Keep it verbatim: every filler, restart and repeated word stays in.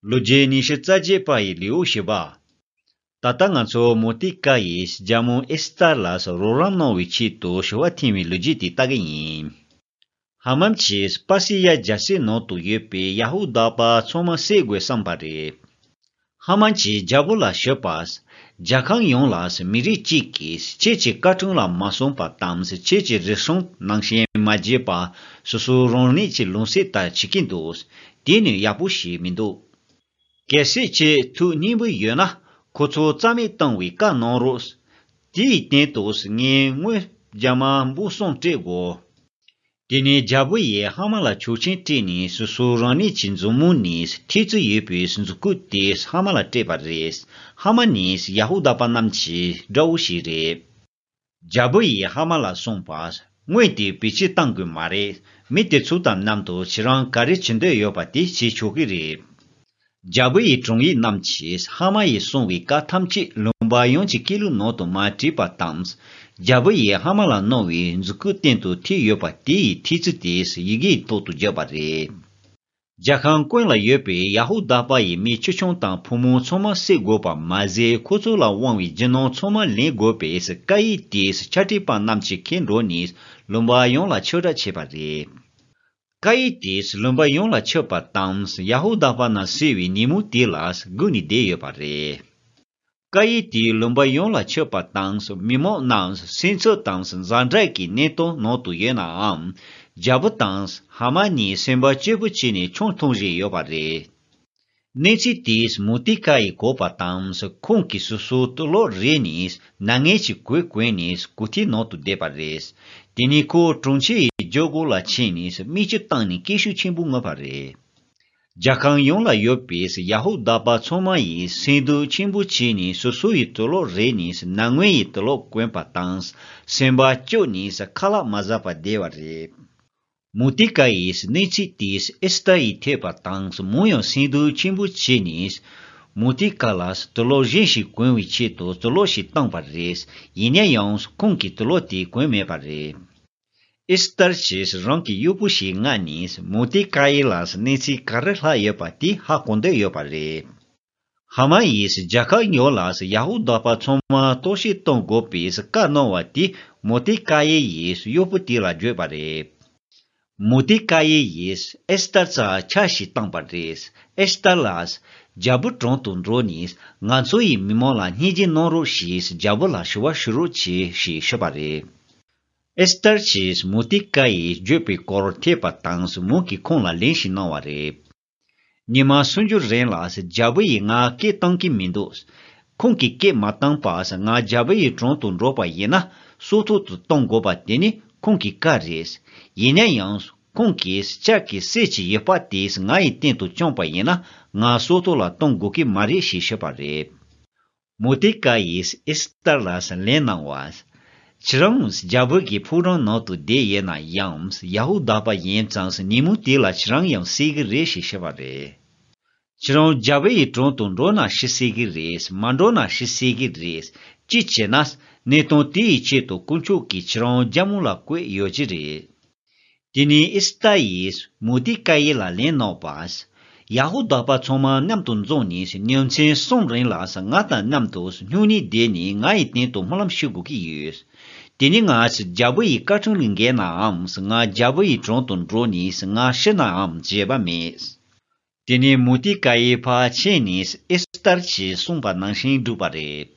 ལོ་རྒྱུས་ཉི་ཤུ་རྩ་བརྒྱད་པ་ཡི་ལེའུ་བཞི་པ། ད་ལྟ་ང་ཚོ་མོ་ཏི་ཀ་ཡིས་རྒྱལ་མོ་ཨེ་སི་ཏར་ལ་རོགས་རམ་གནང་བའི་ཆེད་དུ་ཞུ་བ་འཐེན་པའི་ལོ་རྒྱུས་དེ་ལྟ་གི་ཡིན། ཧ་མན་གྱིས་པ་སི་ཡ་རྒྱལ་སའི་ནང་དུ་ཡོད་པའི་ཡ་ཧུ་དཱ་པ་ཚང་མ་བསད་དགོས་བསམ་པ་རེད། ཧ་མན་གྱིས་རྒྱལ་པོ་ལ་ཞུས་པ། རྒྱལ་ཁམས་ཡོངས་ལ་མི་རིགས་གཅིག་གིས་ཁྱེད་ཀྱི་བཀའ་དྲིན་ལ་མ་སོང་པ་དང་ཁྱེད་ཀྱི་རུལ་སུངས་ནང་བཞིན་མ་བྱས་པ་སོ་སོའི་རང་ཉིད་ཀྱི་ལུང་བསྟན་ལྟར་བྱེད་ཀྱི་འདུག་དེ་ནི་ཡག་པོ་ཞིག་མི་འདུག་གལ་སྲིད་ཁྱེད་ཐུགས་མཉེས་པོ་ཡོད་ན་ཁོ་ཚོ་རྩ་མེད་གཏོང་བའི་བཀའ་གནང་རོགས། དེའི་སྟེང་དུ་ངས་དངུལ་རྒྱ་མ་འབུམ་གསུམ་སྤྲད་དགོས། དེ་ནས་རྒྱལ་པོ་ཡིས་ཧ་མ་ལ་ཆོག་མཆན་སྤྲད་ནས་སོ་སོ་རང་ཉིད་ཀྱི་མཛུབ་མོ་ནས་ཐེལ་ཙེ་ཡོད་པའི་མཛུབ་གུ་དེ་ཧ་མ་ལ་སྤྲད་པ་རེད། ཧ་མ་ནས་ཡ་ཧུ་དཱ་པ་རྣམས་ཀྱི་དགྲ་བོ་ཞིག་རེད། རྒྱལ་པོ་ཡིས་ཧ་མ་ལ་གསུངས་པ། དངུལ་དེ་བེད་སྤྱོད་གཏང་དགོས་མ་རེད། མི་དེ་ཚོ་དང་མཉམ་དུ་ཁྱེད་རང་ག་རེ་བྱེད་འདོད་ཡོད་པ་དེ་བྱེད་ཆོག་གི་རེད། རྒྱལ་པོ་ཡི་དྲུང་ཡིག་རྣམས་ཀྱིས་ཧ་མ་ཡིས་གསུངས་པའི་བཀའ་ཐམས་ཅད་ལུང་པ་ཡོངས་ཀྱི་སྐད་ལུགས་ནང་དུ་མ་བྲིས་པ་དང་། རྒྱལ་པོ་ཡིས་ཧ་མ་ལ་གནང་བའི་མཛུབ་གུ་སྟེང་དུ་ཐེལ་ཡོད་པ་དེ་ཡི་ཐེལ་ཙེ་དེ་ཡི་གེའི་ཐོག་ཏུ་བརྗོད་པ་རེད། རྒྱལ་ཁམས་ཀུན་ལ་ཡོད་པའི་ཡ་ཧུ་དཱ་པ་ཡི་མི་ཆེ་ཆུང་དང་ཕོ་མོ་ཚང་མ་བསད་དགོས་པ་མ་ཟད་ཁོ་ཚོ་ལ་དབང་བའི་རྒྱུ་ནོར་ཚང་མ་ལེན་དགོས་པའི་བཀའ་ཡིག་དེ་ཕྱག་བྲིས་པ་རྣམས་ཀྱིས་ཁྱེར་འགྲོ་ནས་ལུང་པ་ཡོངས་ལ་ཁྱབ་བསྒྲགས་བྱས་པ་རེད། བཀའ་ཡིག་དེས་ལུང་པ་ཡོངས་ལ་ཁྱབ་པ་དང་ཡ་ཧུ་དཱ་པ་རྣམས་བསད་པའི་ཉིན་མོ་དེ་ལ་སྒུག་ནས་བསྡད་ཡོད་པ་རེད། བཀའ་ཡིག་དེས་ལུང་པ་ཡོངས་ལ་ཁྱབ་པ་དང་མི་མང་རྣམས་སེམས་འཚབ་དང་ཛ་དྲག་གི་གནས་སྟངས་ནང་དུ་ཡོད་ནའང་། རྒྱལ་པོ་དང་ཧ་མ་གཉིས་སེམས་པ་སྐྱིད་པོ་བྱས་ནས་ཆང་འཐུང་བཞིན་ཡོད་པ་རེད། གནས་ཚུལ་དེས་མོ་ཏི་ཀ་ཡི་གོ་བ་དང་ཁོང་གིས་སོ་སོའི་དུག་ལོག་རེག་ནས་ནད་ངན་གྱི་གོས་གོན་ནས་སྒུག་ཐིག་ནང་དུ་བསྡད་པ་རེད། དེ་ནས་ཁོ་གྲོང་ཁྱེར་ཡི་རྒྱལ་སྒོ་ལ་ཕྱིན་ནས་མིག་ཆུ་བཏང་ནས་སྐད་ཤུགས་ཆེན་པོ་ངུས་པ་རེད། རྒྱལ་ཁམས་ཡོངས་ལ་ཡོད་པའི་ཡ་ཧུ་དཱ་པ་ཚང་མ་ཡིས་སེམས་སྡུག་ཆེན་པོ་བྱས་ནས་སོ་སོ་ཡི་དུག་ལོག་རེག་ནས་ནད་ངན་ཡི་དུག་ལོག་གོན་པ་དང་སེམས་པ་སྐྱོ་ནས་ཁ་ལག་མ་ཟ་བར་བསྡད་པ་རེད། མུ་ཏི་ཀ་ཡིས་གནས་ཚུལ་དེ་ཨེ་སི་ཏར་ཡིས་ཐོས་པ་དང་མོ་ཡང་སེམས་སྡུག་ཆེན་པོ་བྱས་ནས། མུ་ཏི་ཀ་ལ་དུག་ལོག་གཞན་ཞིག་གོན་བའི་ཆེད་དུ་དུག་ལོག་ཞིག་བཏང་པ་རེད། ཡིན་ན་ཡང་ཁོང་གིས་དུག་ལོག་དེ་གོན་མེད་པ་རེད། ཨེ་སི་ཏར་གྱིས་རང་གི་གཡོག་པོ་ཞིག་མངགས་ནས་མུ་ཏི་ཀ་ཡི་ལ་གནས་ཚུལ་ག་རེ་ལྷག་ཡོད་པ་དེ་ཧ་གོ་འདོད་ཡོད་པ་རེད། ཧ་མ་ཡིས་རྒྱལ་ཁབ་ཡོངས་ལ་ཡ་ཧུ་དཱ་པ་ཚང་མ་གཏོར་བཤིག་གཏོང་དགོས་པའི་བཀའ་གནང་བ་དེ་མུ་ཏི་ཀ་ཡེ་ཡིས་གཡོག་པོ་དེ་ལ་བརྗོད་པ་རེད། མུ་ཏི་ཀ་ཡེ་ཡིས་ཨེ་སི་ཏར་རྩར་ཆ་ཞིག་བཏང་པ་རེད། ཨེ་སི་ཏར་ལགས། རྒྱལ་པོའི་དྲུང་དུ་འགྲོ་ནས་ང་ཚོ་ཡི་མི་མང་ལ་སྙིང་རྗེ་གནང་རོགས་ཞེས་རྒྱལ་པོ་ལ་ཞུ་བ་ཞུ་རོགས་གྱིས་ཞེས་ཞུས་པ་རེད། ཨེ་སི་ཏར་གྱིས་མུ་ཏི་ཀ་ཡེས་བརྗོད་པའི་སྐོར་ཐོས་པ་དང་མོ་གིས་ཁོང་ལ་ལན་ཞིག་གནང་བ་རེད། ཉི་མ་སུམ་ཅུ་རིང་ལ་རྒྱལ་པོ་ཡིས་ང་སྐད་བཏང་གི་མི་འདུག་ཁོང་གིས་སྐད་མ་བཏང་བར་ང་རྒྱལ་པོ་ཡི་དྲུང་དུ་འགྲོ་བ་ཡིན་ན་སྲོག་ཐོག་ཏུ་གཏོང་དགོས་པ་དེ་ནི་ཁོང་གི་བཀའ་རེད། ཡིན་ན་ཡང་ཁོང་གིས་ལྕགས་ཀྱི་གསེར་གྱི་ཡུ་བ་དེ་ངའི་སྟེང་དུ་བརྐྱངས་པ་ཡིན་ན་ང་སྲོག་ཐོག་ལ་གཏོང་དགོས་ཀྱི་མ་རེད་ཞེས་ཞུས་པ་རེད། མུ་ཏི་ཀ་ཡིས་ཨེ་སི་ཏར་ལ་ལན་གནང་བ། ཁྱེད་རང་རྒྱལ་པོ་གི་ཕོ་བྲང་ནང་དུ་བསྡད་ཡོད་ན་ཡང་ཡ་ཧུ་དཱ་པ་ཡིན་ཙང་ཉིན་མོ་དེ་ལ་ཁྱེད་རང་ཡང་བསད་ཀྱི་རེད་ཞེས་ཞུས་པ་རེད། ཁྱེད་རང་རྒྱལ་པོ་ཡི་དྲུང་དུ་འགྲོ་ན་ཤི་བསད་ཀྱི་རེད། མ་འགྲོ་ན་ཤི་བསད་ཀྱི་རེད། གཅིག་བྱས་ན་གནས་སྟངས་དེ་ཡི་ཆེད་དུ་དཀོན་མཆོག་གིས་ཁྱེད་རང་རྒྱལ་མོ་ལ་བསྐོས་ཡོད་ཀྱི་རེད། དེ་ནས་ཨེ་སི་ཏར་ཡིས་མུ་ཏི་ཀ་ཡེ་ལ་ལན་གནང་བ། ཡ་ཧུ་དཱ་པ་ཚང་མ་མཉམ་དུ་འཛོམས་ནས་ཉིན་མཚན་གསུམ་རིང་ལ་ང་དང་མཉམ་དུ་སྨྱུང་གནས་བསྡད་ནས་ང་ཡི་སྟེང་དུ་སྨོན་ལམ་ཞུ་དགོས་ཀྱི་ཡོད། དེ་ནི་ང་རྒྱལ་པོ་ཡི་བཀའ་དྲིན་ལས་འགལ་ནའང་ང་རྒྱལ་པོ་ཡི་དྲུང་དུ་འགྲོ་ནས་ང་ཤི་ནའང་བརྗེད་པ་མེད། དེ་ནས་མུ་ཏི་ཀ་ཡེ་ཕར་ཕྱིན་ནས་ཨེ་སི་ཏར་གྱིས་གསུངས་པ་ནང་བཞིན་བསྒྲུབས་པ་རེད།